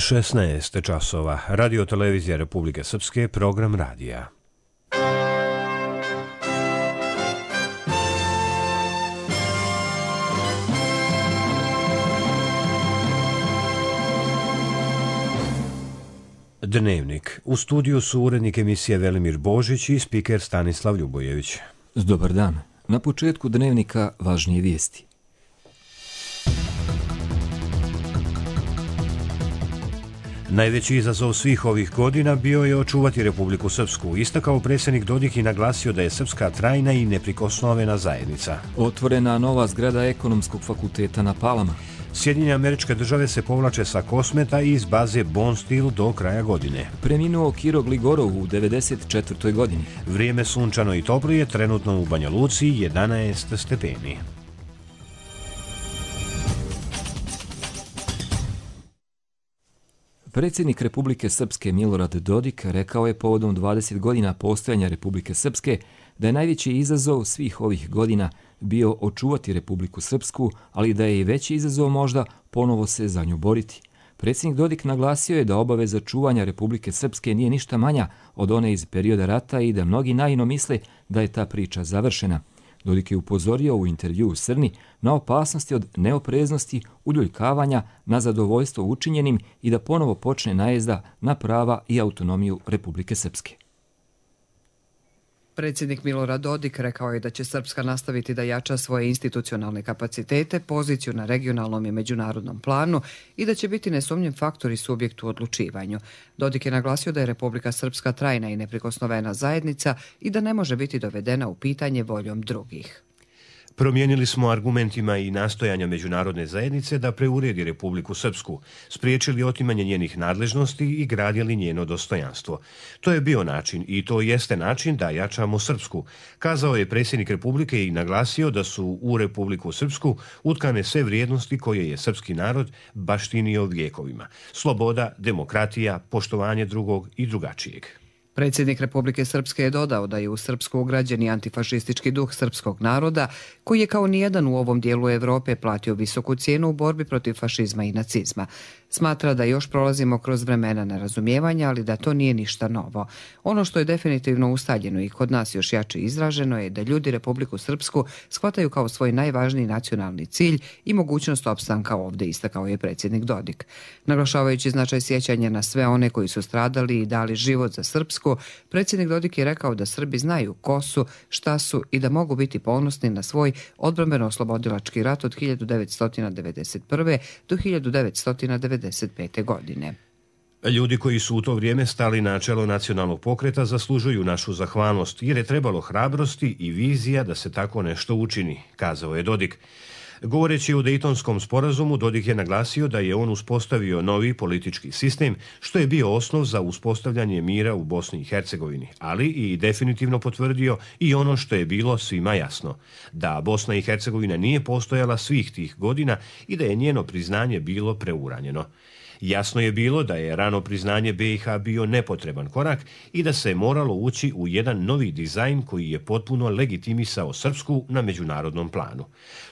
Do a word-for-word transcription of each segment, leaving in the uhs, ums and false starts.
šesnaest časova. Radio televizija Republike Srpske, program radija. Dnevnik. U studiju su urednik emisije Velimir Božić i spiker Stanislav Ljubojević. Dobar dan. Na početku dnevnika važnije vijesti. Najveći izazov svih ovih godina bio je očuvati Republiku Srpsku, istakao predsjednik Dodik i naglasio da je Srpska trajna i neprikosnovena zajednica. Otvorena nova zgrada Ekonomskog fakulteta na Palama. Sjedinjene Američke Države se povlače sa Kosmeta i iz baze Bonstil do kraja godine. Preminuo Kiro Gligorov u devedeset četvrtoj godini. Vrijeme sunčano i toplo je, trenutno u Banja Luci jedanaest stepeni. Predsjednik Republike Srpske Milorad Dodik rekao je povodom dvadeset godina postojanja Republike Srpske da je najveći izazov svih ovih godina bio očuvati Republiku Srpsku, ali da je i veći izazov možda ponovo se za nju boriti. Predsjednik Dodik naglasio je da obaveza čuvanja Republike Srpske nije ništa manja od one iz perioda rata i da mnogi naivno misle da je ta priča završena. Dodik je upozorio u intervju u Srni na opasnosti od neopreznosti, uljuljkavanja, na zadovoljstvo učinjenim i da ponovo počne najezda na prava i autonomiju Republike Srpske. Predsjednik Milorad Dodik rekao je da će Srpska nastaviti da jača svoje institucionalne kapacitete, poziciju na regionalnom i međunarodnom planu i da će biti nesumnjiv faktor i subjekt u odlučivanju. Dodik je naglasio da je Republika Srpska trajna i neprikosnovena zajednica i da ne može biti dovedena u pitanje voljom drugih. Promijenili smo argumentima i nastojanja međunarodne zajednice da preuredi Republiku Srpsku, spriječili otimanje njenih nadležnosti i gradili njeno dostojanstvo. To je bio način i to jeste način da jačamo Srpsku, kazao je predsjednik Republike i naglasio da su u Republiku Srpsku utkane sve vrijednosti koje je srpski narod baštinio vjekovima. Sloboda, demokratija, poštovanje drugog i drugačijeg. Predsjednik Republike Srpske je dodao da je u Srpsku ugrađeni antifašistički duh srpskog naroda, koji je kao nijedan u ovom dijelu Evrope platio visoku cijenu u borbi protiv fašizma i nacizma. Smatra da još prolazimo kroz vremena nerazumijevanja, ali da to nije ništa novo. Ono što je definitivno ustaljeno i kod nas još jače izraženo je da ljudi Republiku Srpsku shvataju kao svoj najvažniji nacionalni cilj i mogućnost opstanka ovdje, istakao je predsjednik Dodik. Naglašavajući značaj sjećanja na sve one koji su stradali i dali život za Srpsku, predsjednik Dodik je rekao da Srbi znaju ko su, šta su i da mogu biti ponosni na svoj odbrambeno-oslobodilački rat od hiljadu devetsto devedeset prve. do hiljadu devetsto devedeset pete. godine. Ljudi koji su u to vrijeme stali na čelo nacionalnog pokreta zaslužuju našu zahvalnost jer je trebalo hrabrosti i vizija da se tako nešto učini, kazao je Dodik. Govoreći o Dejtonskom sporazumu, Dodik je naglasio da je on uspostavio novi politički sistem, što je bio osnov za uspostavljanje mira u Bosni i Hercegovini, ali i definitivno potvrdio i ono što je bilo svima jasno, da Bosna i Hercegovina nije postojala svih tih godina i da je njeno priznanje bilo preuranjeno. Jasno je bilo da je rano priznanje B i H bio nepotreban korak i da se je moralo ući u jedan novi dizajn koji je potpuno legitimisao Srpsku na međunarodnom planu.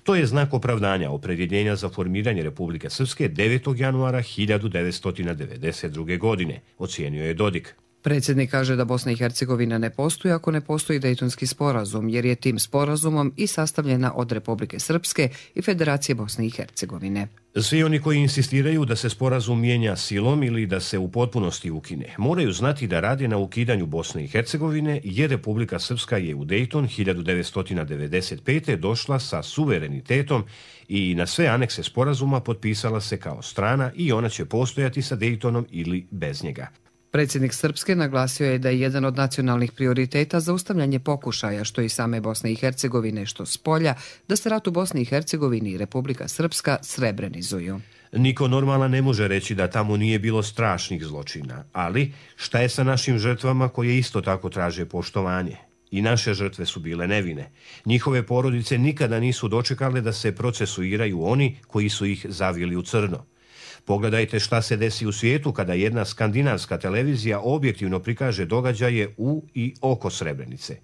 To je znak opravdanja opredjeljenja za formiranje Republike Srpske devetog januara hiljadu devetsto devedeset druge. godine, ocijenio je Dodik. Predsjednik kaže da Bosna i Hercegovina ne postoji ako ne postoji Dejtonski sporazum, jer je tim sporazumom i sastavljena od Republike Srpske i Federacije Bosne i Hercegovine. Svi oni koji insistiraju da se sporazum mijenja silom ili da se u potpunosti ukine, moraju znati da rade na ukidanju Bosne i Hercegovine, jer Republika Srpska je u Dejton hiljadu devetsto devedeset pete. došla sa suverenitetom i na sve anekse sporazuma potpisala se kao strana i ona će postojati sa Dejtonom ili bez njega. Predsjednik Srpske naglasio je da je jedan od nacionalnih prioriteta zaustavljanje pokušaja, što i same Bosne i Hercegovine, što s polja, da se rat u Bosni i Hercegovini i Republika Srpska srebrenizuju. Niko normalan ne može reći da tamo nije bilo strašnih zločina, ali šta je sa našim žrtvama koje isto tako traže poštovanje? I naše žrtve su bile nevine. Njihove porodice nikada nisu dočekale da se procesuiraju oni koji su ih zavili u crno. Pogledajte šta se desi u svijetu kada jedna skandinavska televizija objektivno prikaže događaje u i oko Srebrenice.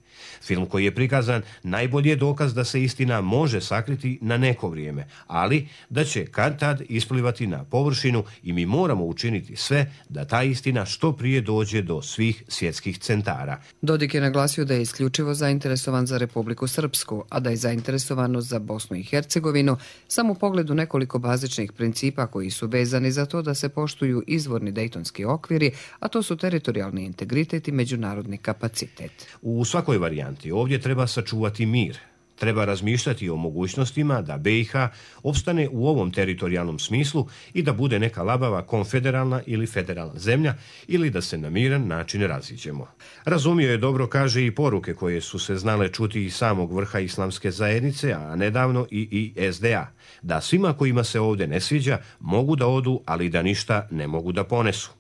Film koji je prikazan najbolji je dokaz da se istina može sakriti na neko vrijeme, ali da će kad-tad isplivati na površinu i mi moramo učiniti sve da ta istina što prije dođe do svih svjetskih centara. Dodik je naglasio da je isključivo zainteresovan za Republiku Srpsku, a da je zainteresovanost za Bosnu i Hercegovinu samo u pogledu nekoliko bazičnih principa koji su vezani za to da se poštuju izvorni dejtonski okviri, a to su teritorijalni integritet i međunarodni kapacitet. U svakoj varijanti ovdje treba sačuvati mir. Treba razmišljati o mogućnostima da B i H opstane u ovom teritorijalnom smislu i da bude neka labava konfederalna ili federalna zemlja ili da se na miran način raziđemo. Razumio je dobro, kaže, i poruke koje su se znale čuti iz samog vrha islamske zajednice, a nedavno i i S D A, da svima kojima se ovdje ne sviđa mogu da odu, ali da ništa ne mogu da ponesu.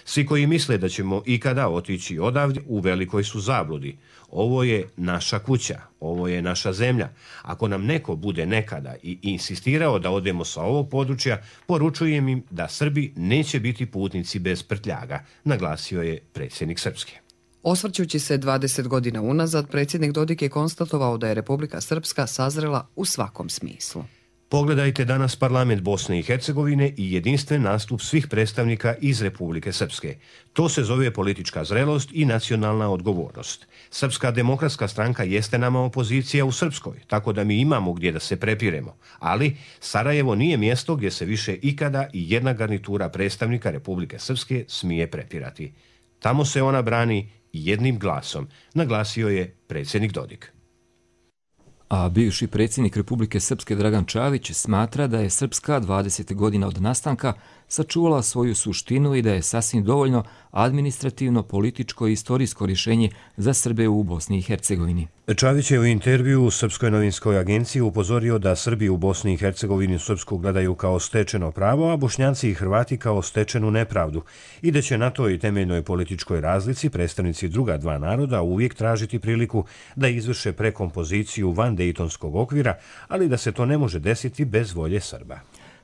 Svi koji misle da ćemo ikada otići odavde u velikoj su zabludi. Ovo je naša kuća, ovo je naša zemlja. Ako nam neko bude nekada i insistirao da odemo sa ovog područja, poručujem im da Srbi neće biti putnici bez prtljaga, naglasio je predsjednik Srpske. Osvrćući se dvadeset godina unazad, predsjednik Dodik je konstatovao da je Republika Srpska sazrela u svakom smislu. Pogledajte danas parlament Bosne i Hercegovine i jedinstven nastup svih predstavnika iz Republike Srpske. To se zove politička zrelost i nacionalna odgovornost. Srpska demokratska stranka jeste nama opozicija u Srpskoj, tako da mi imamo gdje da se prepiremo. Ali Sarajevo nije mjesto gdje se više ikada i jedna garnitura predstavnika Republike Srpske smije prepirati. Tamo se ona brani jednim glasom, naglasio je predsjednik Dodik. A bivši predsjednik Republike Srpske Dragan Čavić smatra da je Srpska dvadeset godina od nastanka sačuvala svoju suštinu i da je sasvim dovoljno administrativno, političko i istorijsko rješenje za Srbe u Bosni i Hercegovini. Čavić je u intervju u Srpskoj novinskoj agenciji upozorio da Srbi u Bosni i Hercegovini Srpsku gledaju kao stečeno pravo, a Bošnjaci i Hrvati kao stečenu nepravdu i da će na toj temeljnoj političkoj razlici predstavnici druga dva naroda uvijek tražiti priliku da izvrše prekompoziciju van dejtonskog okvira, ali da se to ne može desiti bez volje Srba.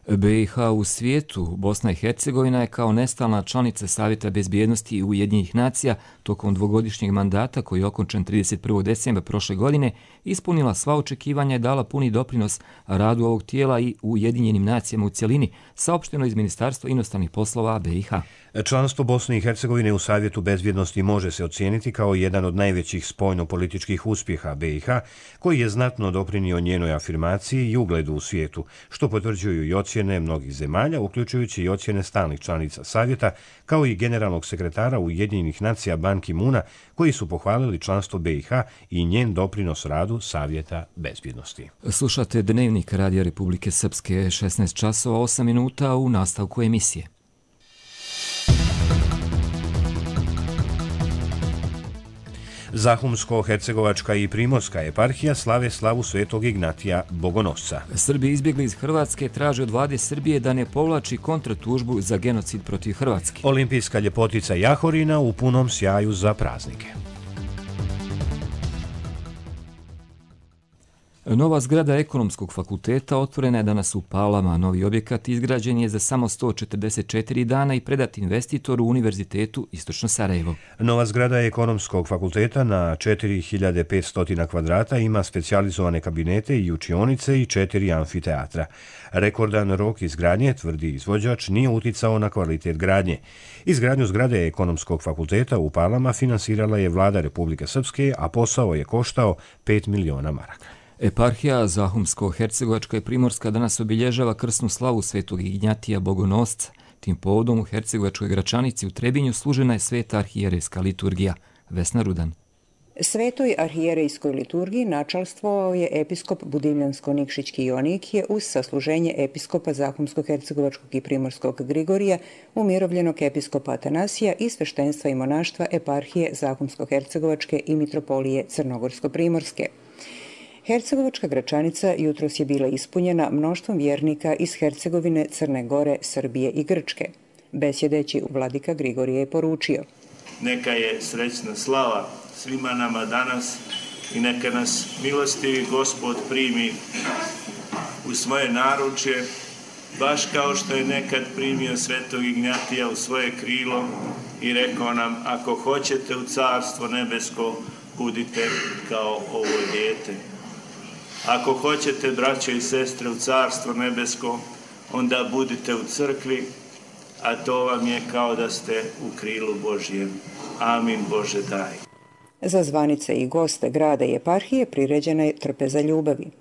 B i H u svijetu, Bosna i Hercegovina je kao nestalna članica Savjeta bezbjednosti Ujedinjenih nacija tokom dvogodišnjeg mandata koji je okončan trideset prvog decembra prošle godine ispunila sva očekivanja i dala puni doprinos radu ovog tijela i Ujedinjenim nacijama u cjelini, saopšteno iz Ministarstva inostranih poslova B i H. Članstvo Bosne i Hercegovine u Savjetu bezbjednosti može se ocijeniti kao jedan od najvećih spoljno-političkih uspjeha B i H, koji je znatno doprinio njenoj afirmaciji i ugledu u svijetu, što potvrđuju i ocjene mnogih zemalja, uključujući i ocjene stalnih članica Savjeta, kao i generalnog sekretara Ujedinjenih nacija Ban Ki-moona, koji su pohvalili članstvo B i H i njen doprinos radu Savjeta bezbjednosti. Slušate Dnevnik Radija Republike Srpske, šesnaest časova osam minuta u nastavku emisije. Zahumsko-hercegovačka i Primorska eparhija slave slavu Svetog Ignatija Bogonosca. Srbi izbjegli iz Hrvatske traže od vlade Srbije da ne povlači kontratužbu za genocid protiv Hrvatske. Olimpijska ljepotica Jahorina u punom sjaju za praznike. Nova zgrada Ekonomskog fakulteta otvorena je danas u Palama. Novi objekat izgrađen je za samo sto četrdeset četiri dana i predat investitoru Univerzitetu Istočno Sarajevo. Nova zgrada Ekonomskog fakulteta na četiri hiljade petsto kvadrata ima specijalizovane kabinete i učionice i četiri amfiteatra. Rekordan rok izgradnje, tvrdi izvođač, nije uticao na kvalitet gradnje. Izgradnju zgrade Ekonomskog fakulteta u Palama finansirala je vlada Republike Srpske, a posao je koštao pet miliona maraka. Eparhija Zahumsko-hercegovačka i Primorska danas obilježava krsnu slavu Svetog Ignjatija Bogonosca. Tim povodom u Hercegovačkoj Gračanici u Trebinju služena je sveta arhijerejska liturgija. Vesna Rudan. Svetoj arhijerejskoj liturgiji načalstvovao je episkop Budimljansko-Nikšićki Jonikije uz sasluženje episkopa Zahumsko-hercegovačkog i Primorskog Grigorija, umirovljenog episkopa Atanasija i sveštenstva i monaštva eparhije Zahumsko-hercegovačke i mitropolije Crnogorsko-primorske. Hercegovačka Gračanica jutros je bila ispunjena mnoštvom vjernika iz Hercegovine, Crne Gore, Srbije i Grčke. Besjedeći vladika Grigorije je poručio: Neka je srećna slava svima nama danas i neka nas milostivi Gospod primi u svoje naručje baš kao što je nekad primio svetog Ignjatija u svoje krilo i rekao nam, ako hoćete u carstvo nebesko, budite kao ovo dijete. Ako hoćete, braćo i sestre, u carstvo nebesko, onda budite u crkvi, a to vam je kao da ste u krilu Božjem. Amin, Bože daj. Za zvanice i goste grada i eparhije priređena je trpeza ljubavi.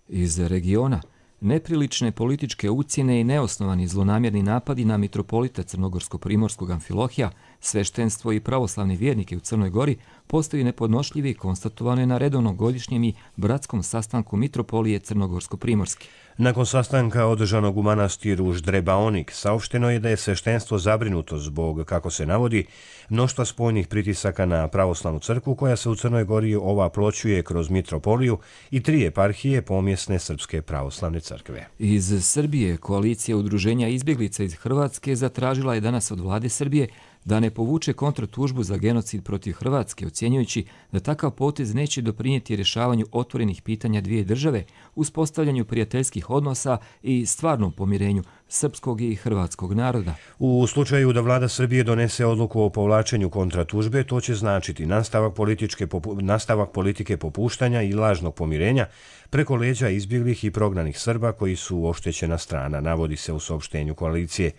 Iz regiona neprilične političke ucjene i neosnovani zlonamjerni napadi na mitropolita Crnogorsko-primorskog Amfilohija, sveštenstvo i pravoslavne vjernike u Crnoj Gori postaju nepodnošljivi i konstatovano je na redovnom godišnjem i bratskom sastanku mitropolije Crnogorsko-primorske. Nakon sastanka održanog u manastiru Ždrebaonik, saopšteno je da je sveštenstvo zabrinuto zbog, kako se navodi, mnoštva spoljnih pritisaka na pravoslavnu crkvu koja se u Crnoj Gori ovaploćuje kroz mitropoliju i tri eparhije pomjesne Srpske pravoslavne crkve. Iz Srbije koalicija udruženja izbjeglica iz Hrvatske zatražila je danas od vlade Srbije da ne povuče kontratužbu za genocid protiv Hrvatske, ocjenjujući da takav potez neće doprinijeti rješavanju otvorenih pitanja dvije države, uspostavljanju prijateljskih odnosa i stvarnom pomirenju srpskog i hrvatskog naroda. U slučaju da vlada Srbije donese odluku o povlačenju kontratužbe, to će značiti nastavak, političke, nastavak politike popuštanja i lažnog pomirenja preko leđa izbjeglih i prognanih Srba koji su oštećena strana, navodi se u saopštenju koalicije.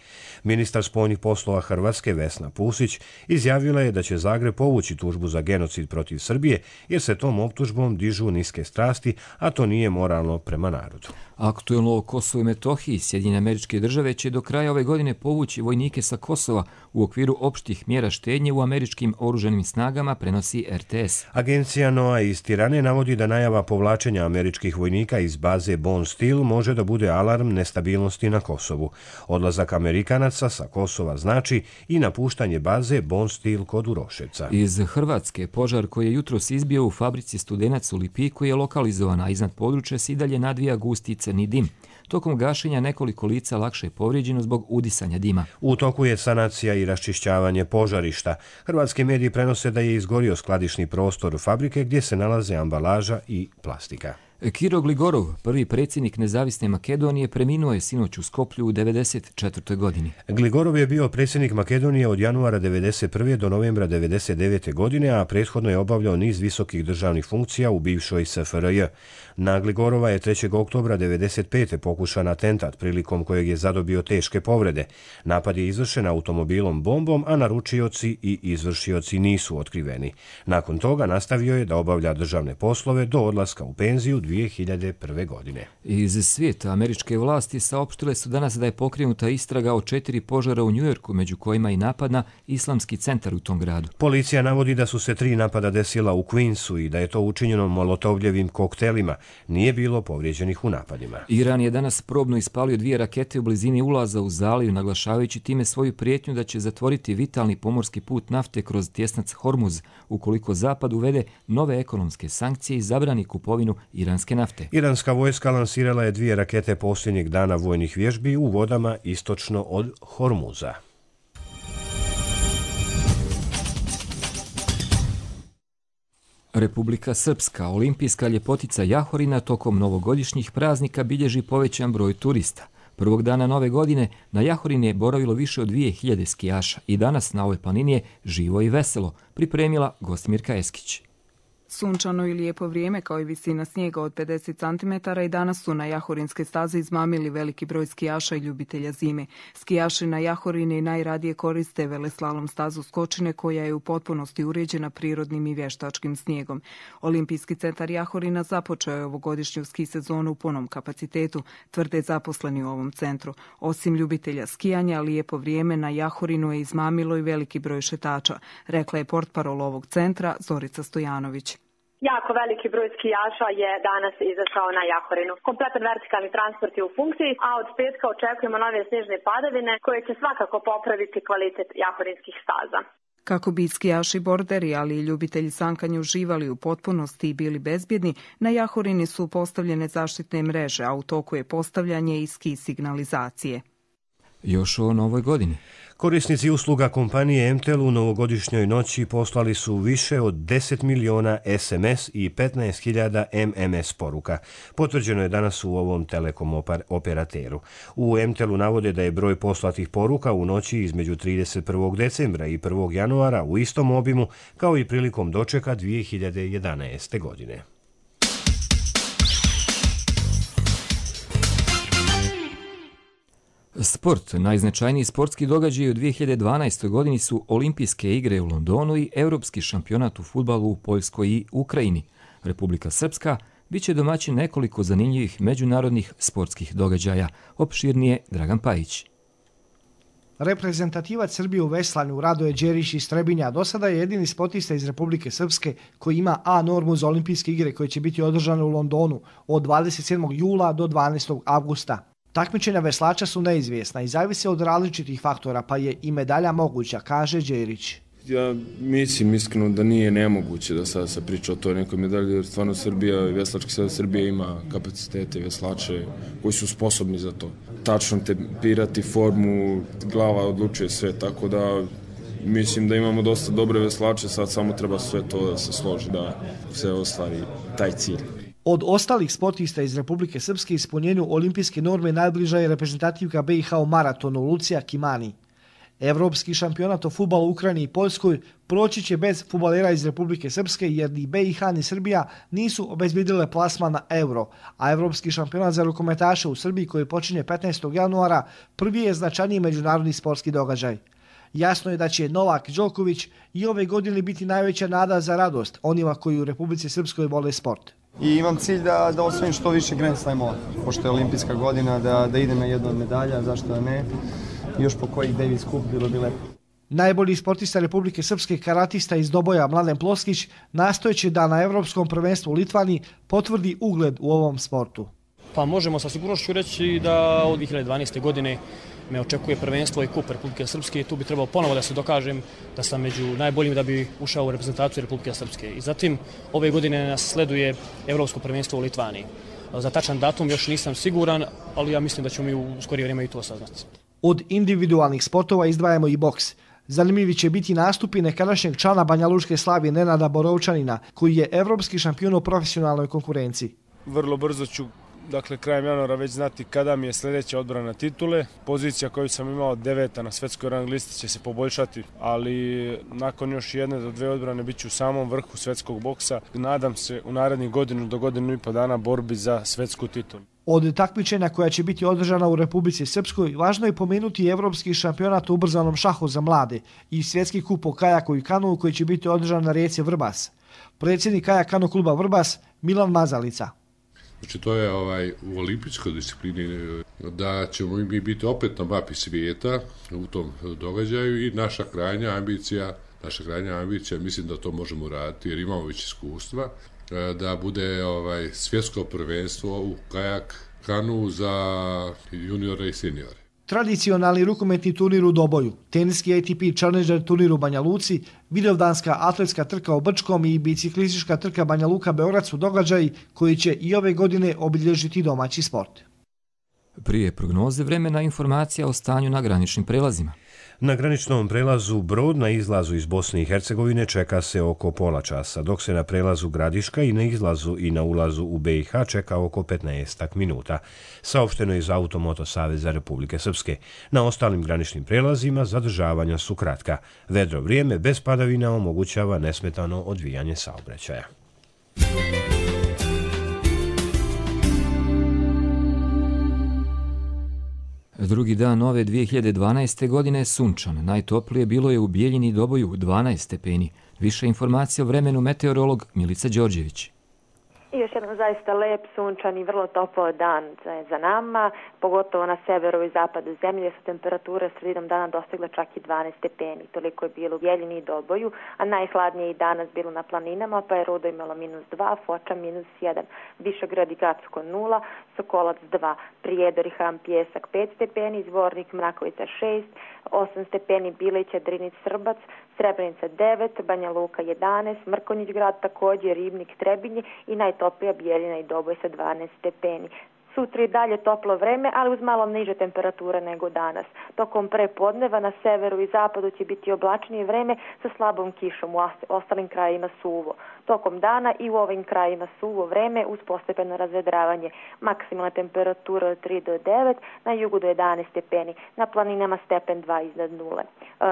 Ministar spoljnih poslova Hrvatske Vesna Pusić izjavila je da će Zagreb povući tužbu za genocid protiv Srbije jer se tom optužbom dižu niske strasti, a to nije moralno prema narodu. Aktuelno o Kosovu i Metohiji, Sjedinjene Američke Države će do kraja ove godine povući vojnike sa Kosova u okviru opštih mjera štednje u američkim oružanim snagama, prenosi R T S. Agencija N O A iz Tirane navodi da najava povlačenja američkih vojnika iz baze Bone Steel može da bude alarm nestabilnosti na Kosovu. Odlazak Amerikanaca sa Kosova znači i napuštanje baze Bone Steel kod Uroševca. Iz Hrvatske požar koji je jutros izbio u fabrici Studenac u Lipiku je lokalizovan, a iznad područja se i dalje nadvija gusti crni dim. Tokom gašenja nekoliko lica lakše je povrijeđeno zbog udisanja dima. U toku je sanacija i raščišćavanje požarišta. Hrvatski mediji prenose da je izgorio skladišni prostor fabrike gdje se nalaze ambalaža i plastika. Kiro Gligorov, prvi predsjednik Nezavisne Makedonije, preminuo je sinoć u Skoplju u devedeset četvrtoj godini. Gligorov je bio predsjednik Makedonije od januara devedeset prve do novembra devedeset devete godine, a prethodno je obavljao niz visokih državnih funkcija u bivšoj S F R J. Na Gligorova je trećeg oktobra devedeset pete pokušan atentat, prilikom kojeg je zadobio teške povrede. Napad je izvršen automobilom bombom, a naručioci i izvršioci nisu otkriveni. Nakon toga nastavio je da obavlja državne poslove do odlaska u penziju dvije hiljade prve. godine. Iz svijeta američke vlasti saopštile su danas da je pokrenuta istraga o četiri požara u Njujorku, među kojima i napad na islamski centar u tom gradu. Policija navodi da su se tri napada desila u Queensu i da je to učinjeno molotovljevim koktelima. Nije bilo povrijeđenih u napadima. Iran je danas probno ispalio dvije rakete u blizini ulaza u zaliju, naglašavajući time svoju prijetnju da će zatvoriti vitalni pomorski put nafte kroz tjesnac Hormuz, ukoliko Zapad uvede nove ekonomske sankcije i zabrani kupovinu iranske nafte. Iranska vojska lansirala je dvije rakete posljednjeg dana vojnih vježbi u vodama istočno od Hormuza. Republika Srpska, olimpijska ljepotica Jahorina, tokom novogodišnjih praznika bilježi povećan broj turista. Prvog dana nove godine na Jahorini je boravilo više od dvije hiljade skijaša i danas na ovoj planini je živo i veselo, pripremila Gostimirka Eskić. Sunčano i lijepo vrijeme kao i visina snijega od pedeset centimetara i danas su na jahorinske staze izmamili veliki broj skijaša i ljubitelja zime. Skijaši na Jahorini najradije koriste veleslalom stazu Skočine koja je u potpunosti uređena prirodnim i vještačkim snijegom. Olimpijski centar Jahorina započeo je ovogodišnju ski sezonu u punom kapacitetu, tvrde zaposleni u ovom centru. Osim ljubitelja skijanja, lijepo vrijeme na Jahorinu je izmamilo i veliki broj šetača, rekla je portparol ovog centra Zorica Stojanović. Jako veliki broj skijaša je danas izašao na Jahorinu. Kompletan vertikalni transport je u funkciji, a od petka očekujemo nove snježne padavine koje će svakako popraviti kvalitet jahorinskih staza. Kako bi skijaši borderi, ali i ljubitelji sankanja uživali u potpunosti i bili bezbjedni, na Jahorini su postavljene zaštitne mreže, a u toku je postavljanje i ski signalizacije. Još o novoj godini. Korisnici usluga kompanije em te el u novogodišnjoj noći poslali su više od deset miliona es em es i petnaest hiljada em em es poruka. Potvrđeno je danas u ovom telekom operateru. U em te el-u navode da je broj poslatih poruka u noći između trideset prvog decembra i prvog januara u istom obimu kao i prilikom dočeka dvije hiljade jedanaeste. godine. Sport. Najznačajniji sportski događaj u dvije hiljade dvanaestoj. godini su Olimpijske igre u Londonu i Europski šampionat u fudbalu u Poljskoj i Ukrajini. Republika Srpska bit će domaćin nekoliko zanimljivih međunarodnih sportskih događaja. Opširnije Dragan Pajić. Reprezentativac Srbije u veslanju Radoje Đerić iz Trebinja do sada je jedini sportista iz Republike Srpske koji ima A normu za Olimpijske igre koje će biti održane u Londonu od dvadeset sedmog jula do dvanaestog avgusta. Takmičenja veslača su neizvjesna i zavise od različitih faktora, pa je i medalja moguća, kaže Đerić. Ja mislim iskreno da nije nemoguće da sada se priča o toj nekoj medalji, jer stvarno Srbija, veslački savez Srbije ima kapacitete veslače koji su sposobni za to. Tačno tempirati formu, glava odlučuje sve, tako da mislim da imamo dosta dobre veslače, sad samo treba sve to da se složi, da se ostvari taj cilj. Od ostalih sportista iz Republike Srpske ispunjenju olimpijske norme najbliža je reprezentativka be i ha u maratonu Lucija Kimani. Evropski šampionat o fudbalu u Ukrajini i Poljskoj proći će bez fudbalera iz Republike Srpske jer ni be i ha ni Srbija nisu obezbedile plasman na Euro, a Evropski šampionat za rukometaše u Srbiji koji počinje petnaestog januara prvi je značajniji međunarodni sportski događaj. Jasno je da će Novak Đoković i ove godine biti najveća nada za radost onima koji u Republici Srpskoj vole sport. I imam cilj da, da osvojim što više Grand Slamova, pošto je olimpijska godina, da, da idem na jednu od medalja, zašto da ne, i još po kojih Davis Cup bilo bi lepo. Najbolji sportista Republike Srpske karatista iz Doboja Mladen Ploskić nastojeće da na Evropskom prvenstvu u Litvani potvrdi ugled u ovom sportu. Pa možemo sa sigurnošću reći da od dvije hiljade dvanaeste. godine me očekuje prvenstvo i kup Republike Srpske i tu bi trebalo ponovo da se dokažem da sam među najboljim da bi ušao u reprezentaciju Republike Srpske. I zatim ove godine nas sleduje Evropsko prvenstvo u Litvaniji. Za tačan datum još nisam siguran, ali ja mislim da ćemo mi u skorije vrijeme i to saznati. Od individualnih sportova izdvajamo i boks. Zanimljivi će biti nastupi nekadašnjeg člana Banjalučke Slavije Nenada Borovčanina, koji je evropski šampion u profesionalnoj konkurenciji. Vrlo brzo ću, dakle krajem januara, već znati kada mi je sljedeća odbrana titule. Pozicija koju sam imao deveta na svetskoj rang listi će se poboljšati, ali nakon još jedne do dve odbrane bit ću u samom vrhu svetskog boksa. Nadam se u narednih godinu do godinu i po dana borbi za svetsku titulu. Od takmičenja koja će biti održana u Republici Srpskoj, važno je pomenuti i Evropski šampionat u ubrzanom šahu za mlade i svjetski kup o kajaku i kanuu koji će biti održan na rijeci Vrbas. Predsjednik kajak kano kluba Vrbas Milan Mazalica. Znači to je ovaj, u olimpijskoj disciplini da ćemo mi biti opet na mapi svijeta u tom događaju i naša krajnja ambicija, naša krajnja ambicija, mislim da to možemo raditi jer imamo već iskustva, da bude ovaj, svjetsko prvenstvo u kajak kanu za juniore i seniore. Tradicionalni rukometni turnir u Doboju, teniski A T P Challenger turnir u Banja Luci, vidovdanska atletska trka u Brčkom i biciklistička trka Banja Luka Beograd su događaji koji će i ove godine obilježiti domaći sport. Prije prognoze vremena informacija o stanju na graničnim prelazima. Na graničnom prelazu Brod na izlazu iz Bosne i Hercegovine čeka se oko pola časa, dok se na prelazu Gradiška i na izlazu i na ulazu u be i ha čeka oko petnaest minuta. Saopšteno je iz Automoto Saveza Republike Srpske. Na ostalim graničnim prelazima zadržavanja su kratka. Vedro vrijeme bez padavina omogućava nesmetano odvijanje saobraćaja. Drugi dan nove dvije hiljade dvanaeste. godine sunčan. Najtoplije bilo je u Bijeljini i Doboju dvanaest stepeni. Više informacija o vremenu meteorolog Milica Đorđević. I još jedan zaista lep, sunčan i vrlo topao dan za nama, pogotovo na severu i zapadu zemlje su temperature sredinom dana dostigle čak i dvanaest stepeni. Toliko je bilo u Bijeljini i Doboju, a najhladnije i danas bilo na planinama, pa je Rudo imalo minus dva, Foča minus jedan, Višegrad i Gracko nula, Sokolac dva, Prijedor i Ham Pjesak pet stepeni, Zvornik Mrakovica šest, osam stepeni Bilića, Drinić, Srbac, Srebrenica devet, Banja Luka jedanaest, Mrkonjić grad također, Ribnik, Trebinje i najtoplija Bijeljina i Doboj sa dvanaest stepeni. Sutra i dalje toplo vreme, ali uz malo niže temperature nego danas. Tokom prepodneva na severu i zapadu će biti oblačnije vreme sa slabom kišom, u ostalim krajima suvo. Tokom dana i u ovim krajima suvo vreme uz postepeno razvedravanje. Maksimalna temperatura od tri do devet, na jugu do jedanaest stepeni, na planinama stepen dva iznad nule.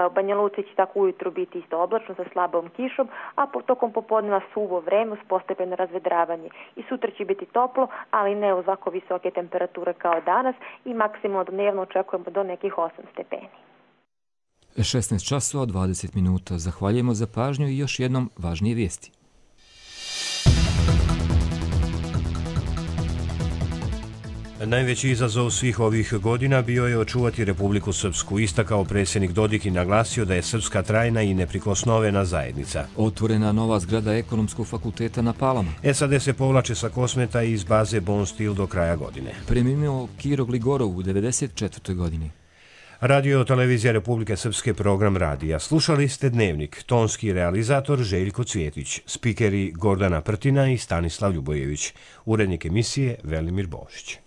U Banja Luci će tako ujutru biti isto oblačno sa slabom kišom, a tokom popodneva suvo vreme uz postepeno razvedravanje. I sutra će biti toplo, ali ne uz ovako visoke temperature kao danas i maksimalno dnevno očekujemo do nekih osam stepeni. šesnaest časova dvadeset minuta. Zahvaljujemo za pažnju i još jednom važnije vijesti. Najveći izazov svih ovih godina bio je očuvati Republiku Srpsku, istakao predsjednik Dodik i naglasio da je Srpska trajna i neprikosnovena zajednica. Otvorena nova zgrada Ekonomskog fakulteta na Palama. S A D se povlače sa Kosmeta iz baze Bon Steel do kraja godine. Preminuo Kiro Gligorov u devedeset četvrtoj godini. Radio Televizija Republike Srpske program radija. Slušali ste Dnevnik, tonski realizator Željko Cvjetić, spikeri Gordana Prtina i Stanislav Ljubojević, urednik emisije Velimir Božić.